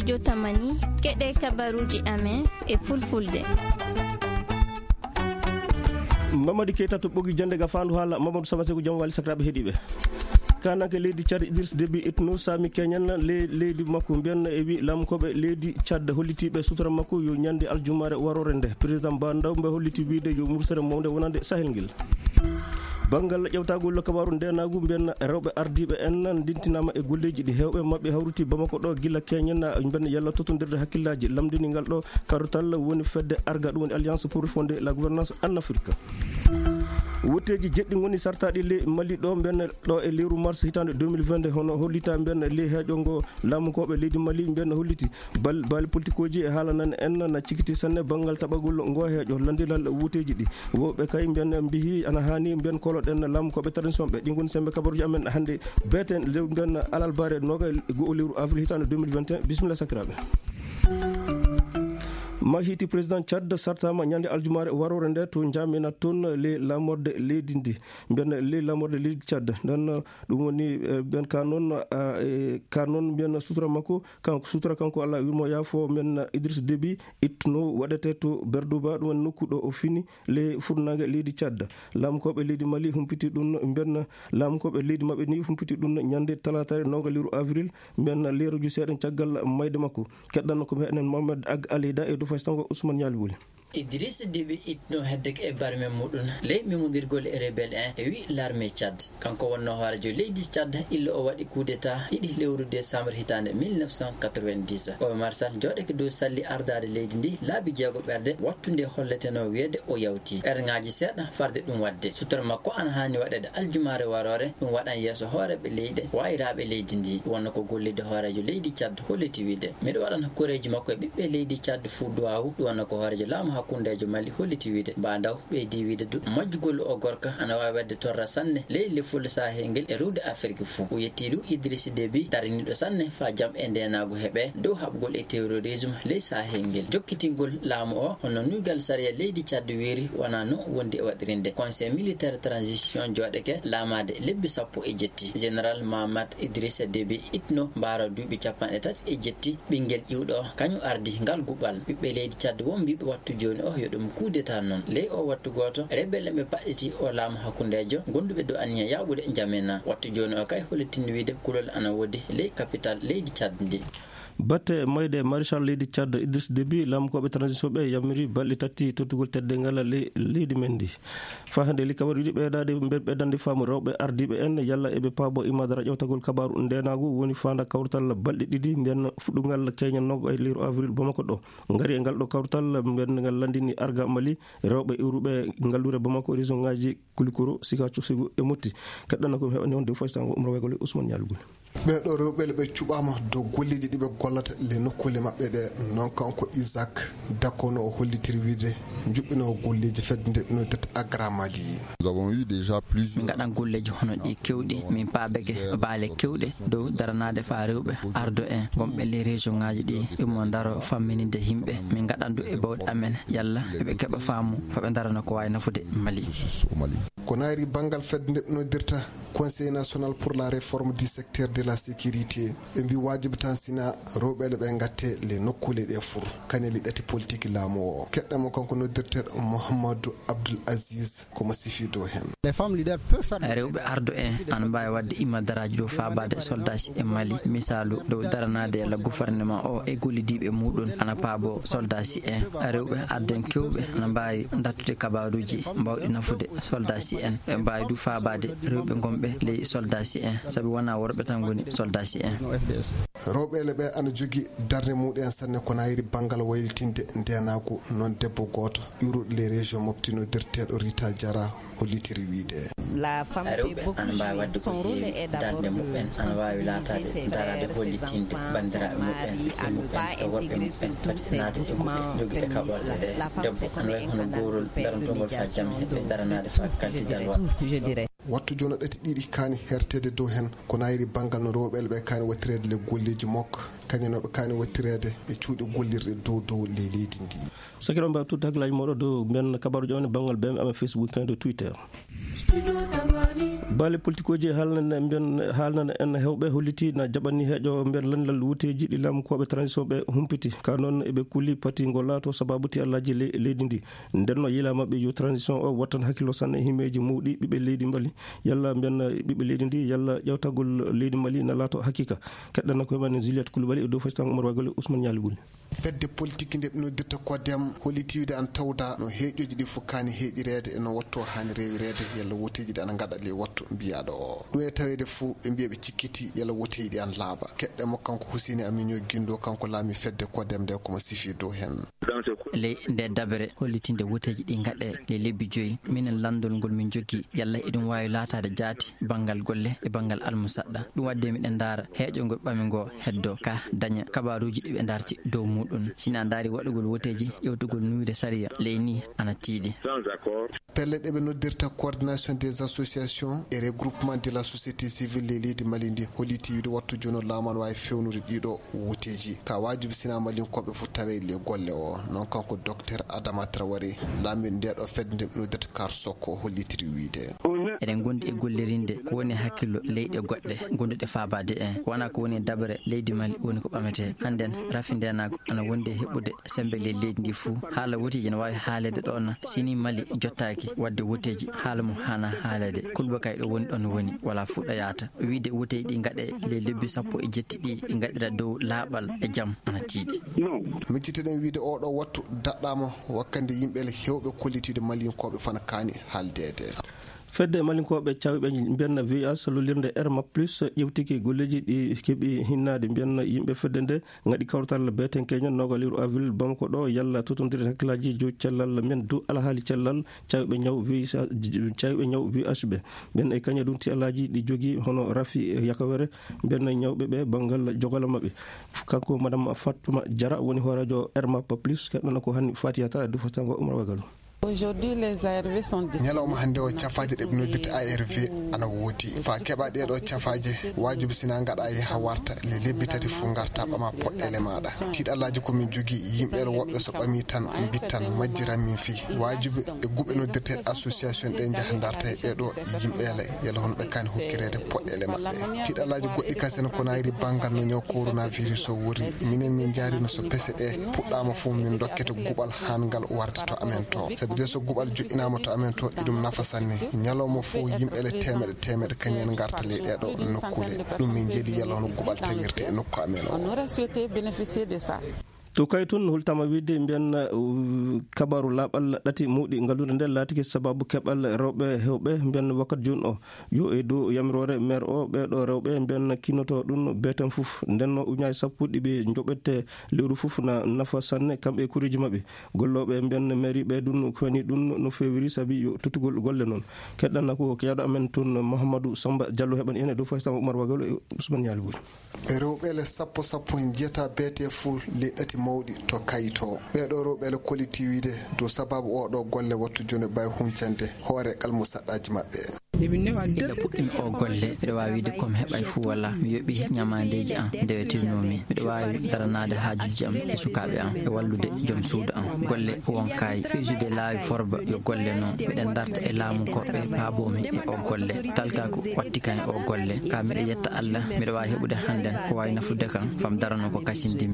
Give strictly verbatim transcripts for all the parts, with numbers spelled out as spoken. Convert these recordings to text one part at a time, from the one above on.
Jotamani, keɗe kabaruuji amen e fulfulde. Mamadi Keita to ɓogi jannde ga faandu haala. Mamadou Samaseko, jam wali sakiraaɓe heɗiiɓe. Kananke leydi Tchad Idriss Déby Itno saami keñen le-, leydi makko mbiyen e wi laamukooɓe leydi Tchad hollitiiɓe sutura makko yo ñande aljumaare waroore nde. Président Ba Ndawmbe holliti wiide yo mursere mawnde wonande Sahel ngel. Banngal ƴewtagol kabaaru ndeenaagu mbiyen rewɓe ardiiɓe en ndintinaama e golleeji ɗi heewɓe maɓɓe hawriti Bamako ɗo gila keñen mbiyen yalla tottondirde hakkillaaji lamndini ngal ɗo karotal woni fedde arga ɗum woni Alliance pour refonder la gouvernance en Afrique. Wotteeji jeɗɗi ngoni sartaaɗi le Mali ɗo mbiyen ɗo e lewru mars hitaande deux mille vingt-deux hono hollita mbiyen le heeƴo ngo laamukooɓe leydi Mali mbiyen holliti bal-, baali politikooji e haala nan en na cikiti sanne banngal taɓagol ngo heeƴo lanndilal wotteeji ɗi. Woɓɓe kay mbiyen mbihi ana haani mbiyen koloɗen laamukooɓe tradition ɓe. Ɗi ngoni sembe kabaruuji amen hannde beeten lew mbiyen alalbaare nooga e go'o lewru avril hitaande deux mille vingt et un. Bisimilla sakiraaɓe. Mahiti président Tchad sartama ñande aljumaare waroore nde to Njamena toon le lamorde leydi ndi. Mbiyen le lamorde leydi Tchad. Nden ɗum woni, eh, mbiyen ka noon, ah, eh, ka noon mbiyen sutura makko, kanko sutura kanko Allah wimo yaafo mbiyen Idriss Déby Itno waɗete to Berdouba, ɗum woni nokku ɗo o fini le furnange leydi Tchad. Laamukooɓe leydi Mali humpiti ɗum mbiyen laamukooɓe leydi maɓɓe ni humpiti ɗum ñande talaata nooga lewru avril. Mbiyen leeruji seeɗa caggal mayde makko. Keɗɗanno ko enen Mohamed Ag Alida e Dufay Sango Ousmane Ñaali Wuli. Idriss Déby Itno heddeke e barme muɗum ley memondirgol e rebelle en e wi l'armée Tchad. Kanko wonno hoorejo leydi Tchad illa o waɗi coup d'état ɗiɗi lewru décembre hitaande mille neuf cent quatre-vingt-dix. Omar Sall jooɗeke dow salli ardaade leydi ndi laabi jeego ɓerde wattu nde holleteno wiyeede o yawti. Ɓerngaji seeɗa farde ɗum waɗde. Sutor makko ana haani waɗeede aljumaare waroore, ɗum waɗan yeeso hooreeɓe leyɗe waayiraaɓe leydi ndi. Wonno ko golliiɗo hooreejo leydi Tchad holliti wiide, miɗo waɗana koreeji makko e ɓiɓɓe leydi Tchad fuu duwaawu. Ɗum wonno ko hooreejo laamu hakkundeejo Mali holliti wiide. Ba Ndaw ɓeydi wiide du majjugol o gorka ana waawi waɗde torra sanne ley lefol Sahel ngel e ruwde Afirki fuu. O yetti du Idriss Déby dariniiɗo sanne faa jam e ndeenaagu heɓe dow haɓgol e terrorisme ley Sahel ngel. Jokkitingol laamu o hono nuygal sariya leydi Tchad wiiri wonaa no wondi e waɗirinde. Conseil militaire transition jooɗeke laamaade lebbi sappo e jetti. Général Mahamat Idrissa Déby Itno mbaaro duuɓi capanɗe tati e jetti. Ɓinngel ƴiwɗo o, kañum ardi ngal guɓal. Ɓiɓɓe leydi Tchad wonɓe wattu jooni o yo ɗum coup d'état noon. Ley o wattu gooto, rebelle ɓe paɗɗiti o laamu hakkundeejo, gonduɓe dow anniya yaaɓude Njamena. Wattu jooni o kay hollitini wiide kulol ana woodi ley capital leydi Tchad ndi. Batte mayde Maréchal leydi Tchad Idriss Déby, laamukooɓe transition ɓe yamiri balɗe tati tottugol teddeengal ley-, leydi men ndi. Faa hannde li kabaruuji ɓeydaade, mbe-, ɓeydande faamu rewɓe ardiiɓe en, yalla eɓe paabo imaadara ƴewtagol kabaaru ndeenaagu woni faanda kawrital balɗe ɗiɗi, mbiyen fuɗɗungal keñen nooga e lewru avril Bamako ɗo. Ngari e ngal ɗo kawrital, mbiyen ngal lanndini arga Mali, rewɓe iwruɓe ngalluure Bamako, région ŋaaji Kulikoro, Sikaco, Segu e Motti. Keɗɗanno ko mi heɓani on de foy sango Umra Waygol e Ousmane Ñaalugol. Ɓee ɗoo rewɓe ɓe cuɓaama dow golleeji ɗi ɓe gollata le nokkuule maɓɓe ɗe. Noon kanko Isaac Dakono o hollitiri wiide njuɓɓinoo golleeji fedde nde ɗum dette Agra Mali. Nous avons eu déjà plusieurs Min ngaɗan golleeji hono ɗi keewɗi. Min paabeke baale keewɗe dow daranaade faa rewɓe ardo en gonɓe ley région ŋaaji ɗi, imo ndaro fammininde yimɓe. Min ngaɗan du e bawɗe amen yalla eɓe keɓa faamu faa ɓe ndarana ko waawi nafude Mali. Au Mali. Ko naayri banngal fedde nde noddirta Conseil national pour la réforme du secteur de la sécurité. Ɓe mbi waajibi tan sina rewɓe ɓe ngatte le nokkuule ɗe fur. Kaneli ɗati politique laamu o. Keɗɗamo kanko noddirteeɗo Mouhamadou Abdoul Aziz komo sifi dow heen. Les femmes leaders peuvent faire Rewɓe ardo en ana mbaawi waɗde imadaraaji dow faabaade soldaaji e Mali. Misaalu, dow daranaade yalla gouvernement o e gollidiiɓe muuɗum ana paabo soldaaji en. Rewɓe ardo en keewɓe ana mbaawi ndattude kabaaruuji mbawɗi nafude soldaaji en. Ɓe mbaawi du faabaade rewɓe gonɓe ley soldaaji en, sabi wonaa worɓe tan ngoni soldaaji en. Rewɓe ɓe ana jogii darnde muɗum en sanne ko naayri banngal waylitinde ndeenaagu. Noon debbo gooto iwruɗo ley région Mopti noddirteeɗo Rita Diarra hollitiri wiide. Rewɓe ana mbaawi waɗde ko heewi. Darnde muɓɓen ana waawi laataade daraade hollitinde banndiraaɓe muɓɓen, ɓiɓɓe muɓɓen e worɓe muɓɓen, fati naata e ɓiɓɓe jogiiɓe kaɓorɗe ɗe. Debbo ana wayi hono gowrol darantoongol faa jam heɓe daranaade faa kalti dalwal. Wattu jooni ɗati ɗiɗi kaani herteede dow heen, ko naayri banngal no rewɓe ɓe kaani wattireede le golleeji makko, kañum no ɓe kaani wattireede e cuuɗi gollirɗe dow dow ley leydi ndi. Sakiraaɓe, mbaɗ tuuti hakkillaaji mooɗon dow mbiyen kabaaruuji amen e banngal B M amen Facebook kañum e Twitter. Baale politikooji haalnana mbiyen, haalnana en heewɓe holliti na jaɓani heeƴo mbiyen lanndal wuteeji ɗi laamukooɓe transition ɓe humpiti. Ka noon eɓe kuli pati ngo laato sababu ti allaaji le-, leydi ndi. Nden no yiila maɓɓe yo transition o wattan hakkillo sanne himeeji mawɗi ɓiɓɓe leydi Mali. Yalla mbiyen ɓiɓɓe leydi ndi, yalla ƴewtagol leydi Mali na laato hakiika. Keɗɗana koye men Juliette Coulibaly e dow fasitan Oumar Wagol e Ousmane Nialy Bouli. Fedde politique nde ɓe noddirta kodem holliti wiide an tawda no heeƴoji ɗi fof kaani heeƴireede e no watto haani rewireede yalla woteeji ɗi ana ngaɗa ley wattu mbiyaɗo o. Ɗum e taweede fof ɓe mbiya ɓe cikkiti yalla woteeji ɗi ana laaɓa. Keɗɗe mo kanko Huseyni Aminio Gindo, kanko laami fedde kodem nde, komo sifi dow heen. Ley nde dabere hollitinde woteeji ɗi ngaɗe ley lebbi joyi, minen lanndol ngol min jogii yalla eɗum waawi laataade jaati banngal golle e banngal almusaɗɗa. Ɗum waɗde miɗen ndaara heeƴo ngo ɓami ngo heddo ka daña kabaruuji ɗi ɓe ndarti dow muɗum. Sina ndaari waɗugol woteeji, ƴewtugol nuuyde sariya ley ni ana tiiɗi. Pelle ɗe ɓe noddirta coordination des associations et regroupement de la société civile ley leydi Mali ndi holliti wiide wattu jooni o laamu ana waawi fewnude ɗiɗo woteeji. Ka waajibi sina Malinkooɓe fof tawe le golle o. Noon kanko Docteur Adama Traoré, laamiiɗo nde ɗo fedde nde ɓe noddirta Kar Sokko hollitiri wiide. Eɗen ngondi e gollirinde ko woni hakkillo leyɗe goɗɗe gonduɗe faabaade en. Wona ko woni e dabere leydi Mali woni ko ɓamete. Hannden rafi ndeenaagu ana wondi e heɓude sembe ley leydi ndi fuu. Haala woteeji ene waawi haaleede ɗoon sini Mali jottaaki waɗde woteeji haala mo haana haaleede. Kulba kay ɗo woni ɗoon woni, wala fuɗɗa yaata. Wiide woteeji ɗi ngaɗe ley lebbi sappo e jetti ɗi, ɗi ngaɗira dow laaɓal e jam ana tiiɗi. Miccitoɗen wiide oɗo wattu daɗɗaama wakkande yimɓe le heewɓe kollitiiɗo Malinkooɓe fana kaani haaldeede. Fedde Malinkooɓe cawɓe mbiyanna V H lollirde Erma Plus ƴewtiki golleeji ɗi keɓi hinnaade mbiyanna yimɓe fedde nde ngaɗi kawtal beeten keñen noga liru avril Bamako ɗo yalla totondirde hakkillaaji jow cellal men du alhaali cellal cawɓe ñaw V H, cawɓe ñaw V H ɓe. Ɓen e kaña ɗum ti alaaji ɗi jogii hono rafi yakawere mbiyanna ñawɓe ɓe banngal jogala maɓɓe. Kanko Madame Fatma Diarra woni hooreejo Erma Plus, keɗɗana ko hanni Fatiya Tara du Fatango Umar Wagal. Aujourd'hui, les A R V sont disponibles. Ñalawma hannde o, cafaaje ɗe ɓe noddirta A R V ana woodi. Faa keɓa ɗee ɗoo cafaaje, waajibi sina ngaɗa yaha warta le lebbi tati fof ngarta ɓama poɗɗeele maaɗa. Tiiɗalaaji ko min jogii, yimɓe ɗo woɓɓe so ɓami tan mbittan majjiran min fii. Waajibi e guɓe noddirteeɗe association ɗe njaha ndarta e ɗee ɗoo yimɓeele, yalla hono ɓe kaani hokkireede poɗɗeele maɓɓe. Tiiɗalaaji goɗɗi kasen ko nayri banngal no ñaw coronavirus o wori. Minen min njaarino so pese ɗe puɗɗaama fof min dokkete guɓal haan ngal warde to amen to. Sabi de so guɓal joƴƴinaama to amen to, iɗum nafa sanne. Ñalawma fof yimɓe le teemeɗe teemeɗe kañum en ngarta ley ɗee ɗoo nokkuule. Ɗum min njeeli yalla hono guɓal tawirte e nokku amen o. On aurait souhaité bénéficier de ça. To kay tun hultama wiide mbiyan, uh, kabaru laaɓal ɗati mawɗi ngalluure nde laatike sababu keɓal rewɓe hewɓe mbiyan wakkati jooni o. Yo e dow yamiroore maire o, ɓee ɗoo rewɓe mbiyan kinoto ɗum beetan fof. Nden no uñaaji sappo ɗi ɓe joɓete lewru fof na nafa sanne kamɓe e kureeji maɓɓe. Gollooɓe mbiyan mairie ɓe ɗum koni ɗum no feewiri sabi yo tottugol golle noon. Keɗɗanna ko keɗɗo amen toon Mouhamadou Samba Diallo heɓan en e dow faytama Oumar Wagal e Ousmane Nialy Bouli. Rewɓe le sappo sappo njiyata beete fof le ɗati mawɗi to kayito. Ɓee ɗoo rewɓe le kolliti wiide dow sababu oo ɗoo golle wattu jooni ɓay huncande hoore almusaɗɗaaji maɓɓe. Ila puɗɗimi oo golle, miɗo waawi wiide ko mi heɓay fuu wala mi yoɓi ñamaandeeji am ndewetirnoomi. Miɗo waawi daranaade haajuuji am e sukaaɓe am e wallude joom suudu am. Golle wonkaayi, fewjude laawi forba yo golle noon. Miɗen darta e laamu ko ɓe paaboomi e oo golle. Talka ko watti kan e oo golle. Ka miɗo yetta Allah, miɗo waawi heɓude hannden ko waawi nafude kan, fam darano ko kasindimi.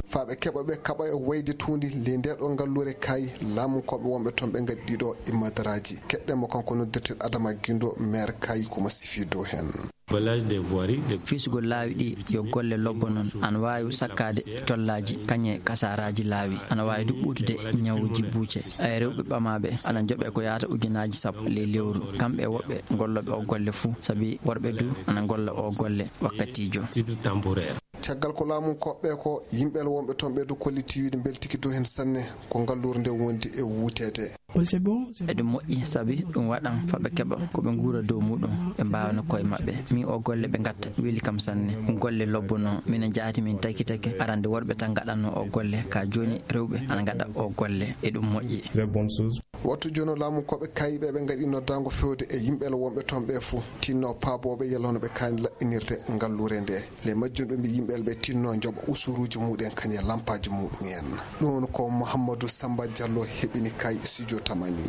Faa ɓe keɓa ɓe kaɓa e wayde tuundi le ndee ɗoo ngalluure kay, laamu ko ɓe wonɓe toon ɓe ngaɗi ɗiɗo e madaraaji. Keɗɗen mo kanko noddirten Adama Gindo, maire Kayi, ko mo sifi dow heen. Village des voiries, de Fisgol laawi ɗi yo golle lobbo noon, ana waawi sakkaade tollaaji, kañe kasaaraaji laawi, ana waawi du ɓuutude ñawuuji buuce. Ay rewɓe ɓamaaɓe ana njoɓe ko yaata ujunaaji sappo ley lewru, kamɓe e woɓɓe gollooɓe oo golle fuu, sabi worɓe du ana golla oo golle wakkatiijo. Titre temporaire. Caggal ko laamu koɓɓe ko, yimɓe wonɓe toon ɓe du kolliti wiide mbeltiki dow heen sanne, ko ngalluure nde wondi e wuuteede. Eɗum moƴƴi, sabi ɗum waɗan faa ɓe keɓa ko ɓe nguura dow muɗum, ɓe mbaawa no koye maɓɓe. Min oo golle ɓe ngatta weli kam sanne. Ɗum golle lobbo noon. Minen jaati min taki taki arande worɓe tan ngaɗanno oo golle, ka jooni rewɓe ana ngaɗa oo golle. Eɗum moƴƴi. Très bonne chose. Wattu jono laamu koɓe kayiɓe ɓe ngaɗi noddaango fewde e yimɓe wonɓe toon ɓe fuu, tinno paabooɓe yalano ɓe kaani laɓɓinirde ngalluure nde. Le majjum ɓe mbi yimɓe ɓe tinno njoɓa usuruuji muɗen kañum e lampaaji muɗum en. Ɗum woni ko Mouhamadou Samba Diallo heɓini kay studio Tamani.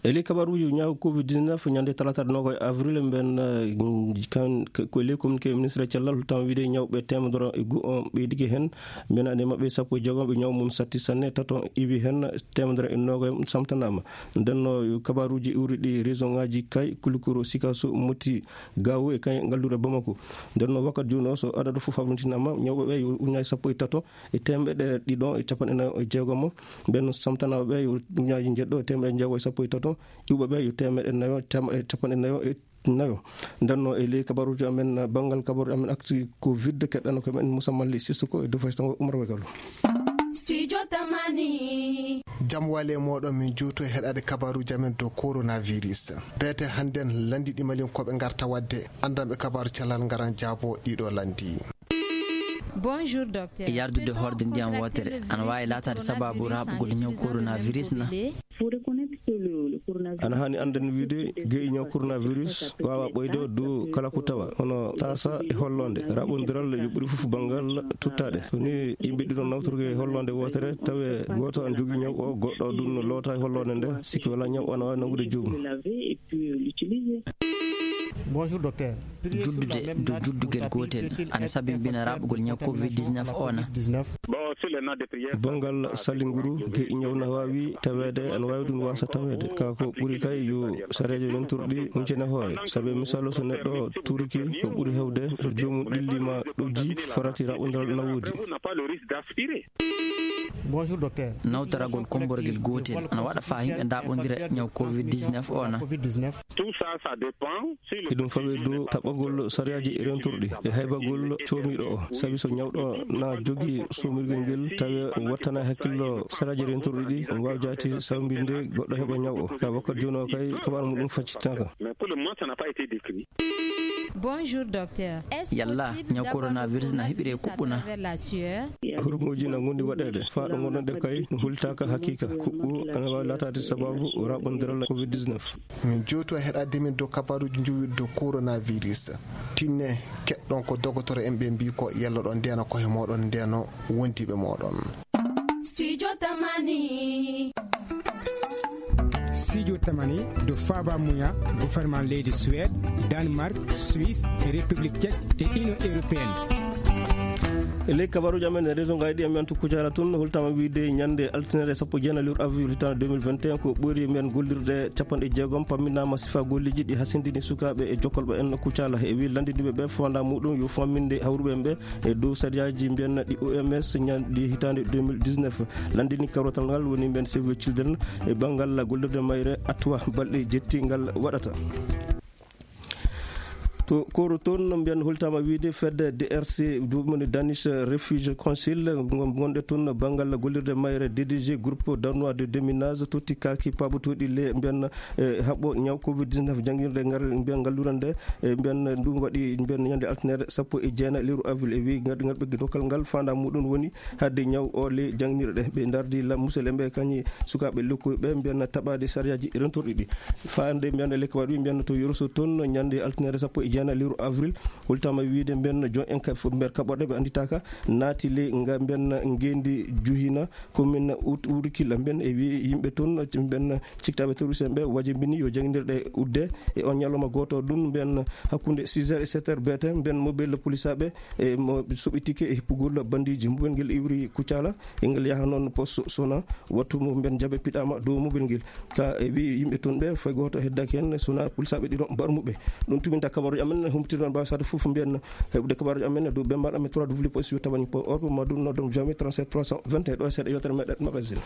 E ley kabaruuji ñaawo covid dix-neuf, ñande talaata noogay avril, mben, eh, kan, ko ley communiqué ministre cellal, holtama wiide ñawɓe teemedere e goo on ɓeydike heen, mben ande maɓɓe sappo e jeegom ɓe ñaw mum satti sanne, tato iwi heen, teemedere e noogay samtanaama. Nden no kabaruuji iwri ɗi région ŋaaji kay, Kulikoro, Sikaso, Moti, Gawo e kay ngalluure Bamako. Nden no wakkati jooni o so adadu fof hawrintinaama, ñawɓe ɓe yo ujunnaaji sappo e tato, e teemeɗɗe ɗiɗo e capanɗe nayo e jeegom. Ɓen samtanaaɓe ɓe yo ujunnaaji njeɗɗo e teemeɗɗe jeego e sappo e tato, iwɓe ɓe yo teemeɗɗe nayo e tem-, e capanɗe nayo e nayo. Nden no e ley kabaruuji amen, banngal kabaruuji amen actu covid, keɗɗano ko men Moussa Mali Sissoko e Dufay Sango Oumar Wegalo. Studio Tamani. Jam wale moɗon, min juuto e heɗade kabaruuji amen dow coronavirus. Beete hannden lanndi ɗi Malinkooɓe ngarta wadde, anndanɓe kabaaru cellal ngaran jaabo ɗiɗo lanndi. Bonjour, docteur. E yardude horde ndiyam wootere ana waawi laataade sabaabu raaɓugol ñaw coronavirus na? Ana haani annden wiide ge'i ñaw coronavirus waawa ɓooyde dow kala ko tawa, hono taasa e holloonde. Raaɓondiral yo ɓuri fof banngal tuttaade. So ni yimɓe ɗiɗo nawtorki e holloonde wootere, tawe gooto ana jogii ñaw o, goɗɗo ɗum no loota e holloonde nde, sikki wala ñaw o ana waawi nangude joomum. Bonjour, docteur. Juddude dow juddugel gootel ana sabimbina raaɓugol ñaw covid dix-neuf o na? Banngal salinguru, ge'i ñaw na waawi taweede, ana waawi ɗum waasa taweede. Ka ko ɓuri kay yo sareeje rentorɗi huncene hoore. Sabe misaalu, so neɗɗo tuuriki, ko ɓuri heewde so joomum ɗillima ɗojji, farati raaɓondiral na woodi. Bonjour, docteur. Nawtoragol kommborgel gootel ana waɗa faa yimɓe ndaaɓondira ñaw covid dix-neuf o na? Tout ça, ça dépend si le Eɗum fawee dow taɓɓagol sariyaaji rentorɗi e haybagol coomiiɗo o. Sabi so ñawɗo na jogii soomirgel ngel, tawi wattana hakkillo sariyaaji rentorɗi ɗi, omo waawi jaati sawmbinde goɗɗo heɓa ñaw o. Ka wakkati jooni o kay, kabaaru muɗum faccitaaka. Mais pour le moment, ça n'a pas été décrit. Bonjour, docteur. Est-ce Yalla, possible ñaw d'avoir coronavirus na hiɓire kuɓɓu na? Hurgooji na ngondi waɗeede, faa ɗo ngonɗon ɗe kay, hultaaka hakiika. Kuɓɓu ana waawi laataade sababu raaɓondiral covid dix-neuf. Min jooto e heɗaade min dow kabaaruuji njowiiɗi dow coronavirus. Tinne, keɗɗon ko dogotoro en ɓe mbii ko, yalla ɗon ndeena koye mooɗon, ndeeno wondiiɓe mooɗon. Studio Tamani. Studio Tamani, do Faba Muya, gouvernement leydi Suède, Danemark, Suisse, e République Tchèque e Union Européenne. E ley kabaruuji amen e région ngaji ɗi, amen to Kucala tun, holtama wiide ñande altine sappo e jeenayi lewru avril hitaande deux mille vingt et un, ko ɓuri men gollirde capanɗe jeegom pamminaama sifa golleji ɗi hasindini sukaaɓe e jokkolɓe en Kucala. E wi lanndiniɓe ɓe fonda muɗum yo famminde hawruɓe ɓe e dow sariyaaji mbiyen ɗi O M S ñanɗi hitaande deux mille dix-neuf. Lanndini karwatal ngal woni mbiyen Save the Children e banngal gollirde mayre Atwa balɗe jetti ngal waɗata. To Koro toon, mbiyen holtama wiide fedde D R C, ɗum woni Danish Refugee Council, ngon-, gonɗe toon banngal gollirde mayre D D G groupe danois de déminage totti kaaki paabotooɗi le mbiyen, e, haɓɓo ñaw covid dix-neuf janngirde ngal mbiyen ngalluure nde, e, mbiyen ɗum waɗi mbiyen ñande altine sappo e jeenayi lewru avril e wi ngal, ngal ɓe dokkal ngal fanda muɗum woni hadde ñaw o le janngirɗe. Ɓe ndardi la musel en ɓe kañi sukaaɓe lokkuɓe ɓe mbiyen taɓaade sariyaaji rentorɗi ɗi. Faande mbiyen le kabaru mbiyen to Yoroso toon ñande altine sappo e jeenayi lewru avril holtama wiide mbiyen jon en ka-, mbiyen kaɓorɗe ɓe annditaaka naati le nga mbiyen ngeendi juhina commune Out-, Ourkila mbiyen e wi yimɓe toon mbiyen ciktaaɓe terroriste en ɓe wajibini yo janngirɗe udde e on ñalawma gooto ɗum mbiyen hakkunde six heures e sept heures beete mbiyen mobile police aɓe e mo soɓitike e hippugol bandiiji mobile ngel iwri Kucala e ngel yaha noon poste sona wattu mo mbiyen jaɓe piɗama dow mobile ngel. Ka e wi yimɓe toon ɓe fay gooto heddaki heen sona police aɓe ɗiɗo mbar muɓɓe. Ɗum tuminta kabaruji amen humtirɗon mbawi sade fof mbiyen heɓude kabaruji amen dow bembaɗo amen trois w point studio tamani point org ma ɗum noddon jami trente-sept trois cent vingt et un ɗo e seeɗa yewtere meɗen magazine.